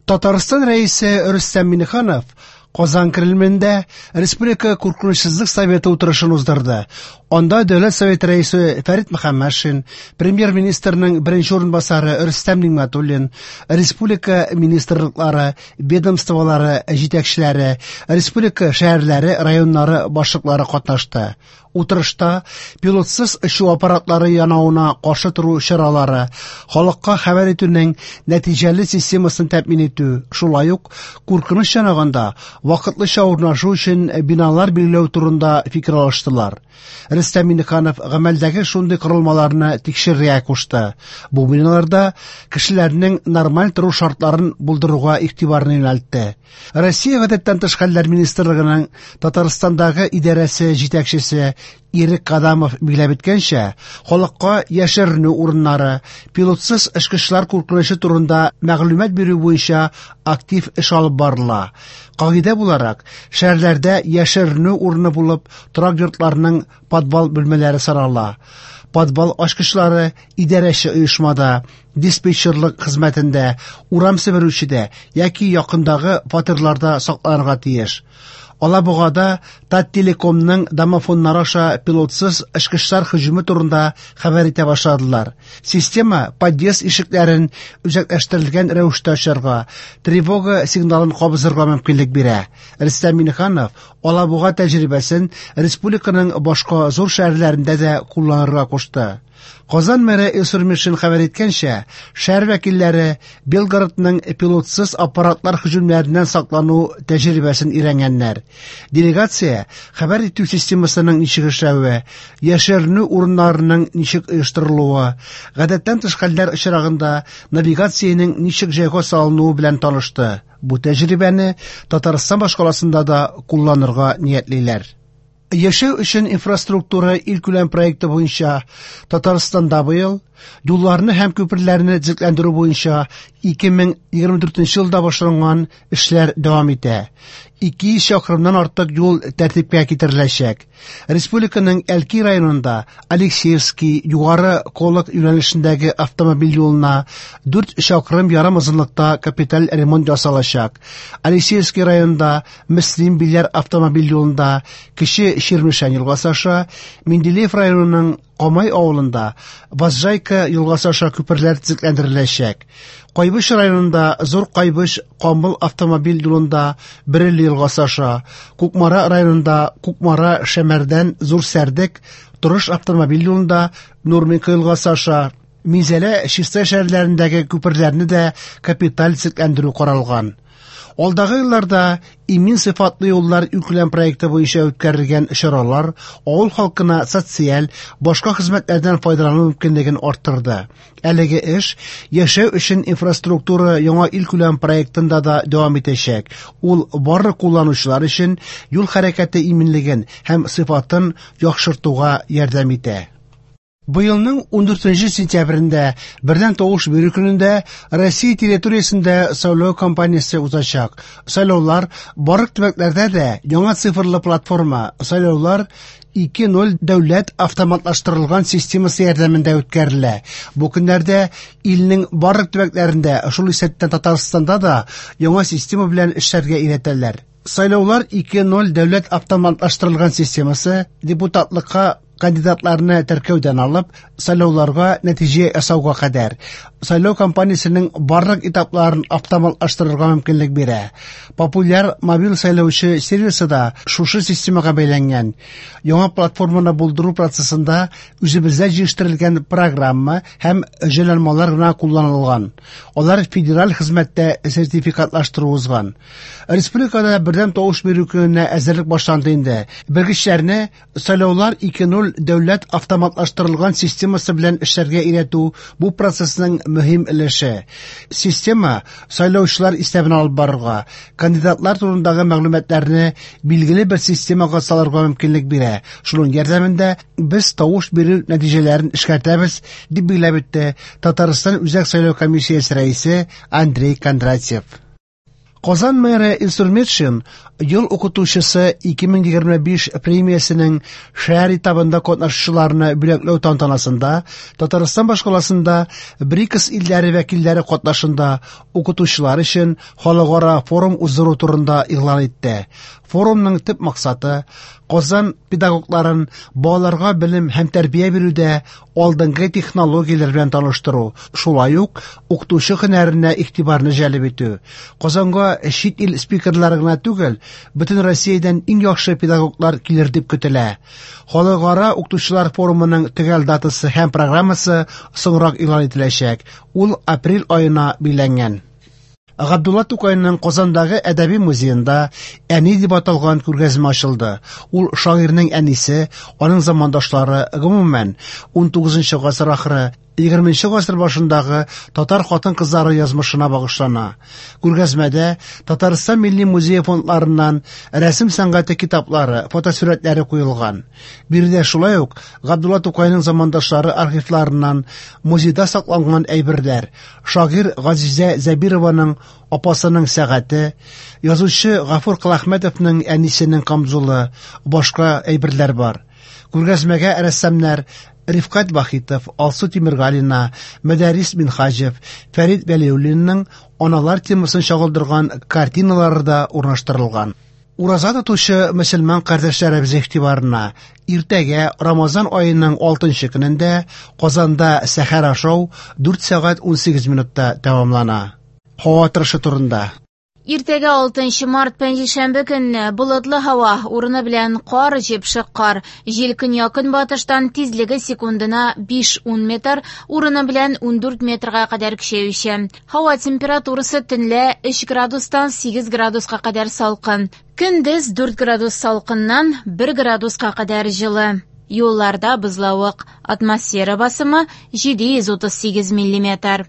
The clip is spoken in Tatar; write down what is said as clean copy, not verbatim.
Татарстан Рәисе Рөстәм Миңнеханов Казан Кремлендә Республика куркынычсызлык советы утырышын уздырды. Анда Дәүләт Советы Рәисе Фәрит Мөхәммәтшин, Премьер-министрның беренче урынбасары Рөстәм Нигъмәтуллин, республика министрлыклары, ведомстволары җитәкчеләре, республика шәһәрләре, районнары башлыклары катнашты. Утырышта пилотсыз очу аппаратлары янавына каршы тору чаралары, халыкка хәбәр итүнең нәтиҗәле системасын тәэмин итү, шулай ук куркыныч янаганда вакытлыча урнашу өчен биналар билгеләү турында фикер алыштылар. Рөстәм Миңнеханов гамәлдәге шундый корылмаларны тикшерергә кушты. Бу биналарда кешеләрнең нормаль тору шартларын булдыруга игътибарны юнәлтте. Россия Гадәттән тыш хәлләр министрлыгының Татарстандагы идарәсе җитәкчесе Ирек Кадамов билгеләп үткәнчә, халыкка яшеренү урыннары, пилотсыз очкычлар куркынычы турында мәгълүмат бирү буенча актив эш алып барыла. Кагыйдә буларак, шәһәрләрдә яшеренү урыны булып торак йортларның подвал бүлмәләре санала. Подвал ачкычлары идарәче оешмада, диспетчерлык хезмәтендә, урам себерүчедә яки якындагы фатирларда сакланырга тиеш. Алабугада Таттелекомның домофоннары аша пилотсыз очкычлар һөҗүме турында хәбәр итә башладылар. Система подъезд ишекләрен үзәкләштерелгән рәвештә ачарга, тревога сигналын кабызырга мөмкинлек бирә. Рөстәм Миңнеханов Алабуга тәҗрибәсен республиканың башка зур шәһәрләрендә дә кулланырга кушты. Казан мэры Илсур Мишин хәбәр иткәнчә, шәһәр вәкилләре Белгородның пилотсыз аппаратлар һөҗүмнәреннән саклану тәҗрибәсен өйрәнгәннәр. Делегация хәбәр итү системасының ничек эшләве, яшеренү урыннарының ничек оештырылуы, гадәттән тыш хәлләр очрагында навигациянең ничек җайга салынуы белән танышты. Бу тәҗрибәне Татарстан башкаласында да кулланырга ниятлиләр. Яшәү өчен инфраструктура илкүләм проекты буенча Татарстанда быел юлларны һәм күперләрне төзекләндерү буенча 2024 елда башланган эшләр дәвам итә. 200 чакрымнан артык юл тәртипкә китереләчәк. Республиканың Әлки районында Алексеевский Югары Колык юнәлешендәге автомобиль юлына 4 чакрым ярым озынлыкта капиталь ремонт ясалачак. Алексеевский районында Мөслим Биләр автомобиль юлында Кече Чирмешән елгасы аша, Менделеев районының Камай авылында Возжайка елгасы аша күперләр төзекләндереләчәк. Кайбыч районында Зур Кайбыч Камыл автомобиль юлында Бөреле елгасы аша, Кукмара районында Кукмара Шәмәрдән Зур Сәрдек Торыш автомобиль юлында Нурминка елгасы аша, Минзәлә Чистай шәһәрләрендәге күперләрне дә капиталь төзекләндерү каралган. Алдагы елларда Имин сыйфатлы юллар илкүләм проекты буенча үткәрелгән чаралар авыл халкына социаль, башка хезмәтләрдән файдалану мөмкинлеген арттырды. Әлеге эш Яшәү өчен инфраструктура яңа илкүләм проектында да дәвам итәчәк. Ул барлык кулланучылар өчен юл хәрәкәте иминлеген һәм сыйфатын яхшыртуга ярдәм итә. Быелның 14 сентябрендә, бердәм тавыш бирү көнендә Россия территориясендә сайлау кампаниясе узачак. Сайлаулар барлык төбәкләрдә дә яңа цифрлы платформа Сайлаулар 2.0 дәүләт автоматлаштырылган системасы ярдәмендә үткәрелә. Бу көннәрдә илнең барлык төбәкләрендә, шул исәптән Татарстанда да яңа система белән эшләргә өйрәтәләр. Сайлаулар 2.0 дәүләт автоматлаштырылган системасы депутатлыкка кандидатларны теркәүдән алып, сайлауларга нәтиҗә ясауга кадәр сайлау кампаниясенең барлык этапларын автоматлаштырырга мөмкинлек бирә. Популяр мобиль сайлаучы сервисы да шушы системага бәйләнгән. Яңа платформаны булдыру процессында үзебездә җитештерелгән программа һәм җайланмалар гына кулланылган. Алар федераль хезмәттә сертификатлаштыру узган. Республикада бердәм тавыш бирү көненә әзерлек башланды инде. Белгечләрне Сайлаулар 2.0 дәүләт автоматлаштырылган системасы белән эшләргә өйрәтү бу процессның мөһим өлеше. Система сайлаучылар исәбен алып барырга, кандидатлар турындагы мәгълүматларны билгеле бер системага салырга мөмкинлек бирә. Шуның ярдәмендә без тавыш бирү нәтиҗәләрен эшкәртәбез, дип билгеләп үтте Татарстан Үзәк сайлау комиссиясе рәисе Андрей Кондратьев. Казан мэры Илсур Метшин Ел укытучысы 2025 премиясенең шәһәр этабында катнашучыларны бүләкләү тантанасында Татарстан башкаласында БРИКС илләре вәкилләре катнашында укытучылар өчен халыкара форум уздыру турында игълан итте. Форумның төп максаты Казан педагогларын балаларга белем һәм тәрбия бирүдә алдынгы технологияләр белән таныштыру, шулай ук укытучы һөнәренә игътибарны җәлеп итү. Казанга чит ил спикерлары гына түгел, бөтен Россиядән иң яхшы педагоглар килер дип көтелә. Халыкара укытучылар форумының төгәл датасы һәм программасы соңрак игълан ителәчәк. Ул апрель аена билгеләнгән. Габдулла Тукайның Казандагы әдәби музеенда Әни дип аталган күргәзмә ачылды. Ул шагыйрьнең әнисе, аның замандашлары, гомумән, 19 гасыр ахыры, 20 гасыр башындагы татар хатын-кызлары язмышына багышлана. Күргәзмәдә Татарстан Милли музее фондларыннан рәсем сәнгате китаплары, фотосурәтләре куелган. Биредә шулай ук Габдулла Тукайның замандашлары архивларыннан музейда сакланган әйберләр, шагыйрь Газизә Зәбированың апасының сәгате, язучы Гафур Коләхмәтовның әнисенең камзулы, башка әйберләр бар. Күргәзмәгә рәссамнар Рифкать Вахитов, Алсу Тимергалина, Мәдәрис Минһаҗев, Фәрит Вәлиуллинның аналар темасын чагылдырган картиналары да урнаштырылган. Ураза тотучы мөселман кардәшләребез игътибарына иртәгә Рамазан аеның 6 көнендә Казанда сәхәр ашау 4 сәгать 18 минутта тәмамлана. Һава торышы турында. Иртәгә 6 март пәнҗешәмбе көнне болытлы һава, урыны белән кар, җепшек кар. Җил көньяк-көнбатыштан тизлеге секундына 5-10 метр, урыны белән 14 метрга кадәр көчәюче. Һава температурасы төнлә 3 градустан 8 градуска кадәр салкын. Көндез 4 градус салкыннан 1 градуска кадәр җылы. Юлларда бозлавык. Атмосфера басымы 738 миллиметр.